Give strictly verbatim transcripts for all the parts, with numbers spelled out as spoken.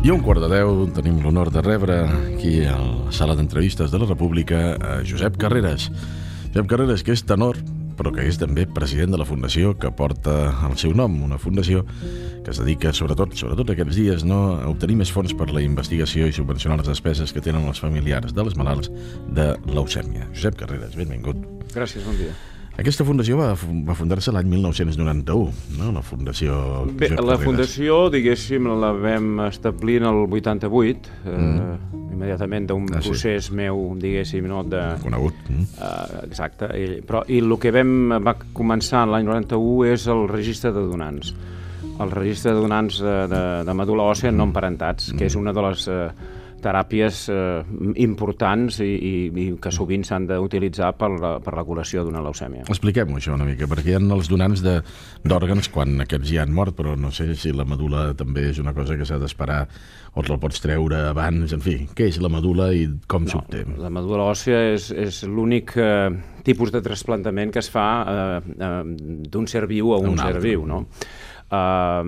I a un quart de deu tenim l'honor de rebre aquí a la sala d'entrevistes de la República a Josep Carreras. Josep Carreras, que és tenor, però que és també president de la fundació que porta el seu nom, una fundació que es dedica sobretot, sobretot aquests dies, no, a obtenir més fons per la investigació i subvencionar les despeses que tenen els familiars dels malalts de leucèmia. Josep Carreras, benvingut. Gràcies, bon dia. Aquesta fundació va, va fundar-se l'any mil nou-cents noranta-u, no? La fundació... Bé, la fundació, diguéssim, la vam establir en el vuitanta-vuit, mm. eh, immediatament d'un ah, procés sí. meu, diguéssim, no, de... Conegut. Mm. Eh, exacte, i, però, i el que vam, va començar l'any noranta-u és el registre de donants. El registre de donants de, de, de medul·la òssea mm. no emparentats, mm. que és una de les... Eh, teràpies eh, importants i, i, i que sovint s'han d'utilitzar per, la, per la curació d'una leucèmia. Expliquem-ho això una mica, perquè hi ha els donants d'òrgans quan aquests ja han mort, però no sé si la medul·la també és una cosa que s'ha d'esperar o te'l pots treure abans, en fi, què és la medul·la i com no, s'obté? La medul·la òssea és, és l'únic eh, tipus de trasplantament que es fa eh, eh, d'un ser viu a un, un ser altre. viu, no? Uh,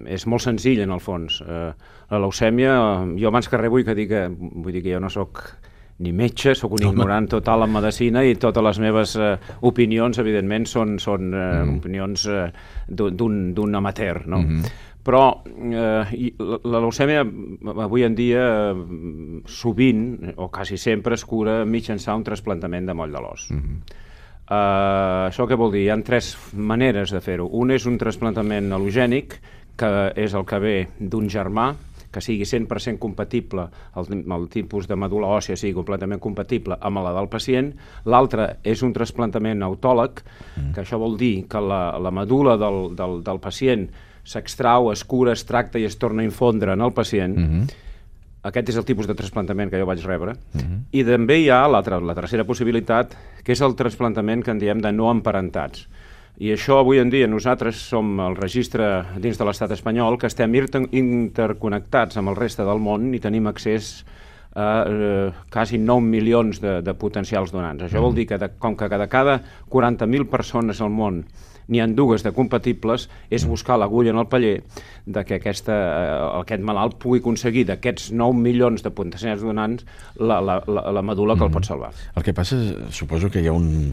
és molt senzill en el fons. Uh, la leucèmia, uh, jo abans que res vull que dir que, vull dir que jo no sóc ni metge, sóc un ignorant total en medicina i totes les meves uh, opinions, evidentment, són, són uh, mm. opinions uh, d'un amateur, no? Mm-hmm. Però eh, la, la leucèmia avui en dia uh, sovint, o quasi sempre, es cura mitjançant un trasplantament de moll de l'os. Mm-hmm. Uh, això què vol dir? Hi ha tres maneres de fer-ho. Un és un trasplantament al·logènic, que és el que ve d'un germà, que sigui cent per cent compatible, el, el tipus de medul·la òssea sigui completament compatible amb la del pacient. L'altre és un trasplantament autòleg, mm. que això vol dir que la, la medul·la del, del, del pacient s'extrau, es cura, es tracta i es torna a infondre en el pacient. Mm-hmm. Aquest és el tipus de trasplantament que jo vaig rebre. Uh-huh. I també hi ha la, la tercera possibilitat, que és el trasplantament que en diem de no emparentats. I això avui en dia nosaltres som el registre dins de l'estat espanyol que estem interconnectats amb el reste del món i tenim accés a eh, quasi nou milions de, de potencials donants. Això uh-huh. vol dir que de, com que de cada quaranta mil persones al món n'hi ha dues de compatibles, és buscar l'agulla en el paller de que aquesta, eh, aquest malalt pugui aconseguir d'aquests nou milions de potencials donants la, la, la, la medul·la que mm. el pot salvar. El que passa, suposo que hi ha un,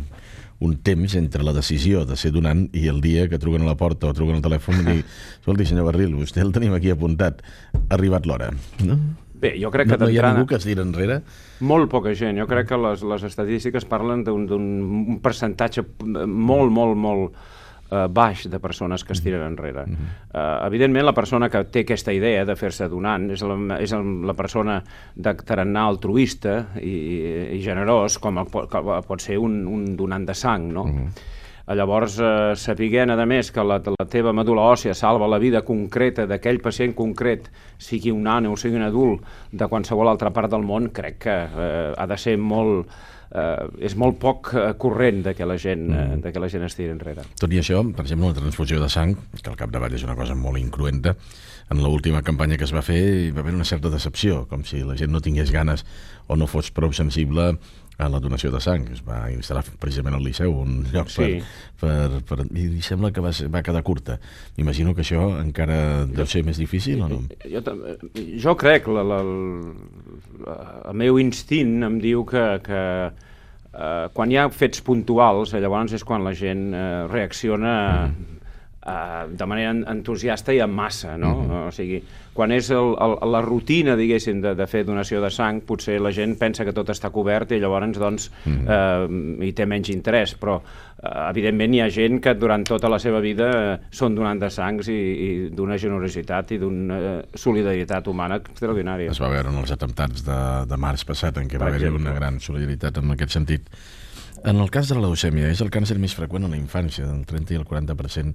un temps entre la decisió de ser donant i el dia que truquen a la porta o truquen al telèfon i diuen, escolti, senyor Barril, vostè el tenim aquí apuntat, ha arribat l'hora, no? Bé, jo crec que no, no hi ha ningú que es tira enrere? Molt poca gent. Jo crec que les, les estadístiques parlen d'un percentatge molt, molt, molt Uh, baix de persones que es tiren enrere. Uh-huh. uh, evidentment, la persona que té aquesta idea de fer-se donant és la, és la persona de tarannà altruista i, i generós, com el, com pot ser un, un donant de sang, no? Uh-huh. Llavors, eh, sapiguent, a més, que la, la teva medul·la òssea salva la vida concreta d'aquell pacient concret, sigui un nano o sigui un adult, de qualsevol altra part del món, crec que eh, ha de ser molt... Uh, és molt poc uh, corrent de que la gent, uh, de que la gent es tiri enrere. Tot i això, per exemple, una transfusió de sang, que al capdavall és una cosa molt incruenta, en l'última campanya que es va fer hi va haver una certa decepció, com si la gent no tingués ganes o no fos prou sensible a la donació de sang. Es va instal·lar precisament al Liceu, un lloc sí. per, per, per... I sembla que va, ser, va quedar curta. M'imagino que això encara deu ser més difícil, o no? Jo, jo crec, la, la, la, el meu instint em diu que, que eh, quan hi ha fets puntuals, llavors és quan la gent eh, reacciona... Mm. Uh, de manera entusiasta i en massa, no? Mm-hmm. O sigui, quan és el, el, la rutina, diguéssim, de, de fer donació de sang, potser la gent pensa que tot està cobert i llavors, doncs, mm-hmm. uh, hi té menys interès, però, uh, evidentment, hi ha gent que durant tota la seva vida uh, són donant de sangs i, i d'una generositat i d'una uh, solidaritat humana extraordinària. Es va veure en els atemptats de, de març passat, en què va haver una gran solidaritat en aquest sentit. En el cas de la leucèmia, és el càncer més freqüent en la infància, del trenta i el quaranta per cent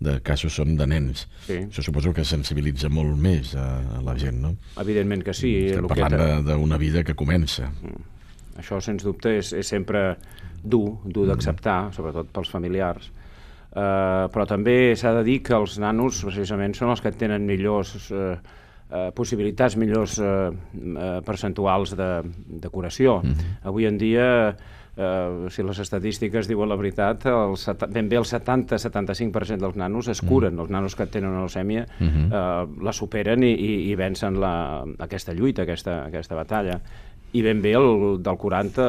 de casos són de nens. Sí. Això suposo que sensibilitza molt més a, a la gent, no? Evidentment que sí. Estem parlant d'una vida que comença. Això, sens dubte, és, és sempre dur, dur d'acceptar, sobretot pels familiars. Uh, però també s'ha de dir que els nanos, precisament, són els que tenen millors... Uh, eh, possibilitats millors eh, eh, percentuals de, de curació. Mm-hmm. Avui en dia, eh, si les estadístiques diuen la veritat, el ben bé el setanta a setanta-cinc per cent dels nanos es curen. Mm-hmm. Els nanos que tenen una leucèmia mm-hmm. eh, la superen i, i, i vencen la, aquesta lluita, aquesta, aquesta batalla. I ben bé el, del quaranta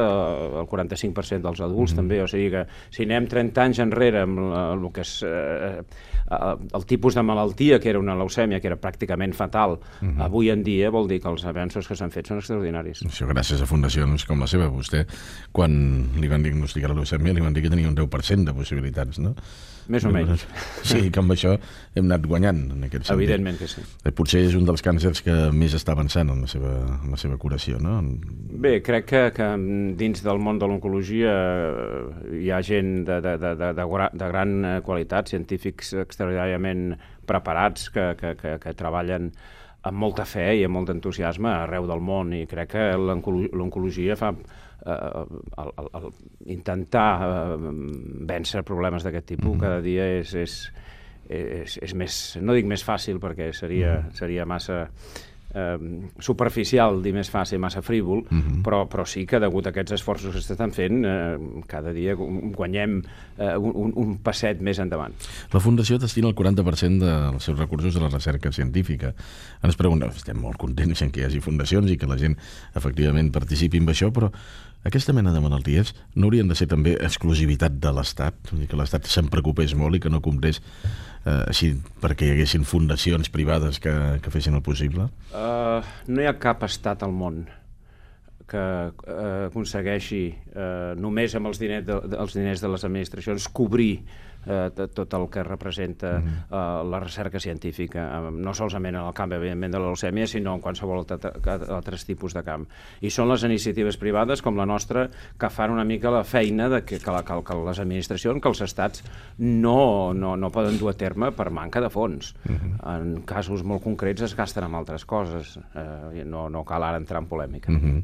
al quaranta-cinc per cent dels adults mm-hmm. també, o sigui que si anem trenta anys enrere amb el, el que és eh, el tipus de malaltia que era una leucèmia, que era pràcticament fatal, mm-hmm. avui en dia vol dir que els avenços que s'han fet són extraordinaris. Això gràcies a fundacions com la seva. Vostè, quan li van diagnosticar la leucèmia, li van dir que tenia un deu per cent de possibilitats, no? Més o menys. Sí, que amb això hem anat guanyant en aquest sentit. Evidentment que sí. Potser és un dels càncers que més està avançant en la seva, en la seva curació, no? Bé, crec que, que dins del món de l'oncologia hi ha gent de, de, de, de, de, de gran qualitat, científics extraordinàriament preparats que, que, que, que treballen amb molta fe i amb molt entusiasme arreu del món, i crec que l'oncologia fa eh, el, el, el intentar eh, vèncer problemes d'aquest tipus mm-hmm. cada dia és, és, és, és més, no dic més fàcil perquè seria, mm-hmm. seria massa eh, superficial, dir més fàcil, massa frívol, mm-hmm. però, però sí que degut a aquests esforços que s'estan fent eh, cada dia guanyem eh, un, un passet més endavant. La Fundació destina el quaranta per cent dels seus recursos a la recerca científica. Ens preguntem, estem molt contents en que hi hagi fundacions i que la gent efectivament participi en això, però aquesta mena de malalties no haurien de ser també exclusivitat de l'Estat? Vull dir que l'Estat se'n preocupés molt i que no comprés eh, així perquè hi haguessin fundacions privades que, que fessin el possible? Uh, no hi ha cap estat al món que uh, aconsegueixi uh, només amb els diners de, els diners de les administracions cobrir eh, tot el que representa uh, la recerca científica, eh, no solament en el camp, evidentment, de la leucèmia, sinó en qualsevol altres tipus de camp. I són les iniciatives privades, com la nostra, que fan una mica la feina de que, que, la, que, que les administracions, que els estats no, no, no poden dur a terme per manca de fons. Uh-huh. En casos molt concrets es gasten en altres coses. Eh, no, no cal ara entrar en polèmica. Uh-huh.